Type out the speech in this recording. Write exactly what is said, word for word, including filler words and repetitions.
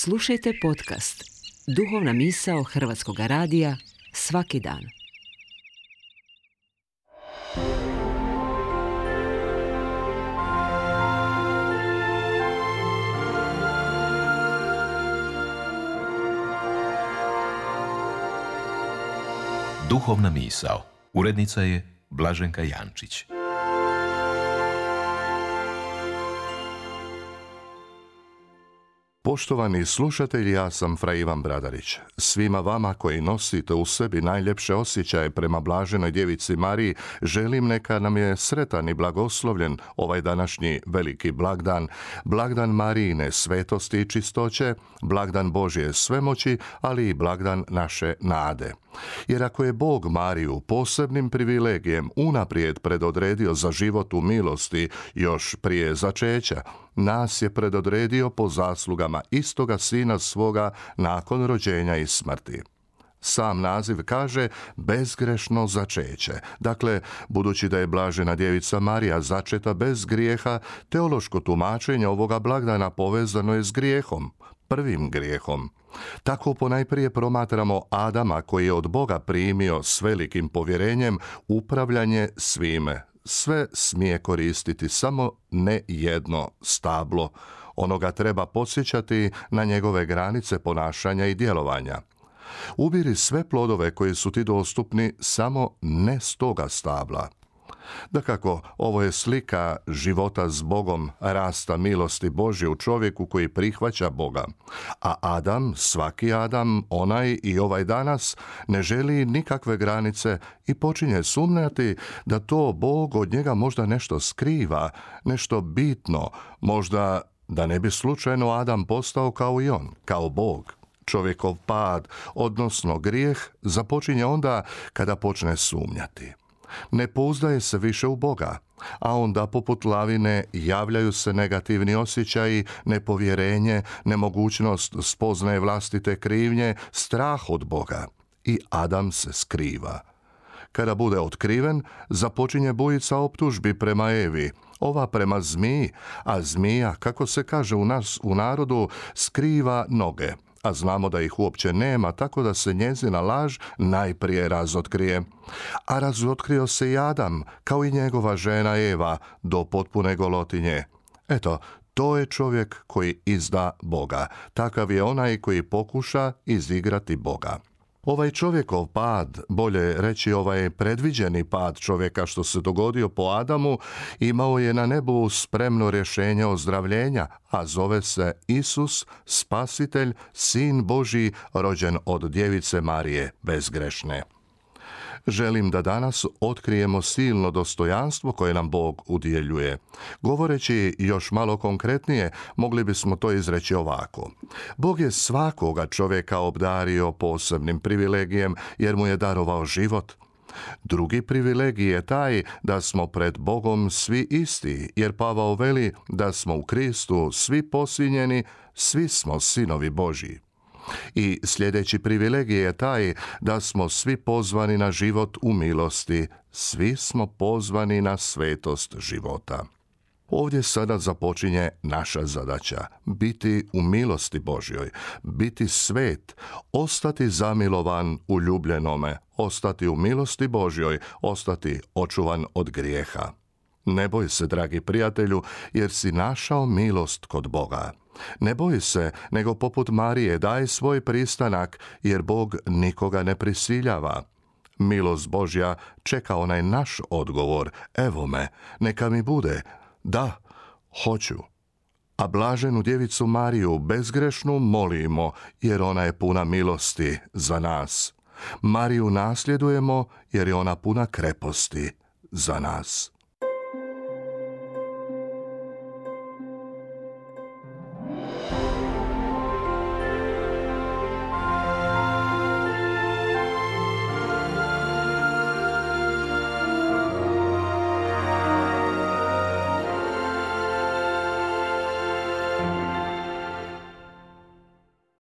Slušajte podcast Duhovna misao Hrvatskog radija svaki dan. Duhovna misao. Urednica je Blaženka Jančić. Poštovani slušatelji, ja sam Fra Ivan Bradarić. Svima vama koji nosite u sebi najljepše osjećaje prema Blaženoj Djevici Mariji, želim neka nam je sretan i blagoslovljen ovaj današnji veliki blagdan, blagdan Marijine svetosti i čistoće, blagdan Božje svemoći, ali i blagdan naše nade. Jer ako je Bog Mariju posebnim privilegijem unaprijed predodredio za život u milosti još prije začeća, nas je predodredio po zaslugama istoga Sina svoga nakon rođenja i smrti. Sam naziv kaže bezgrešno začeće. Dakle, budući da je Blažena Djevica Marija začeta bez grijeha, teološko tumačenje ovoga blagdana povezano je s grijehom, prvim grijehom. Tako ponajprije promatramo Adama koji je od Boga primio s velikim povjerenjem upravljanje svime. Sve smije koristiti, samo ne jedno stablo. Ono ga treba podsjećati na njegove granice ponašanja i djelovanja. Ubiri sve plodove koji su ti dostupni, samo ne s toga stabla. Dakako, ovo je slika života s Bogom, rasta milosti Božje u čovjeku koji prihvaća Boga. A Adam, svaki Adam, onaj i ovaj danas, ne želi nikakve granice i počinje sumnjati da to Bog od njega možda nešto skriva, nešto bitno, možda da ne bi slučajno Adam postao kao i on, kao Bog. Čovjekov pad, odnosno grijeh, započinje onda kada počne sumnjati. Ne pouzdaje se više u Boga, a onda poput lavine javljaju se negativni osjećaji, nepovjerenje, nemogućnost spoznaje vlastite krivnje, strah od Boga. I Adam se skriva. Kada bude otkriven, započinje bujica optužbi prema Evi, ova prema zmiji, a zmija, kako se kaže u nas u narodu, skriva noge. A znamo da ih uopće nema, tako da se njezina laž najprije razotkrije. A razotkrio se i Adam, kao i njegova žena Eva, do potpune golotinje. Eto, to je čovjek koji izda Boga. Takav je onaj koji pokuša izigrati Boga. Ovaj čovjekov pad, bolje reći ovaj predviđeni pad čovjeka što se dogodio po Adamu, imao je na nebu spremno rješenje ozdravljenja, a zove se Isus, Spasitelj, Sin Božji, rođen od Djevice Marije, bezgrešne. Želim da danas otkrijemo silno dostojanstvo koje nam Bog udjeljuje. Govoreći još malo konkretnije, mogli bismo to izreći ovako. Bog je svakoga čovjeka obdario posebnim privilegijem jer mu je darovao život. Drugi privilegij je taj da smo pred Bogom svi isti, jer Pavao veli da smo u Kristu svi posinjeni, svi smo sinovi Božji. I sljedeći privilegij je taj da smo svi pozvani na život u milosti, svi smo pozvani na svetost života. Ovdje sada započinje naša zadaća, biti u milosti Božjoj, biti svet, ostati zamilovan u ljubljenome, ostati u milosti Božjoj, ostati očuvan od grijeha. Ne boj se, dragi prijatelju, jer si našao milost kod Boga. Ne boj se, nego poput Marije daj svoj pristanak, jer Bog nikoga ne prisiljava. Milost Božja čeka onaj naš odgovor, evo me, neka mi bude, da, hoću. A Blaženu Djevicu Mariju bezgrešnu molimo, jer ona je puna milosti za nas. Mariju nasljedujemo, jer je ona puna kreposti za nas.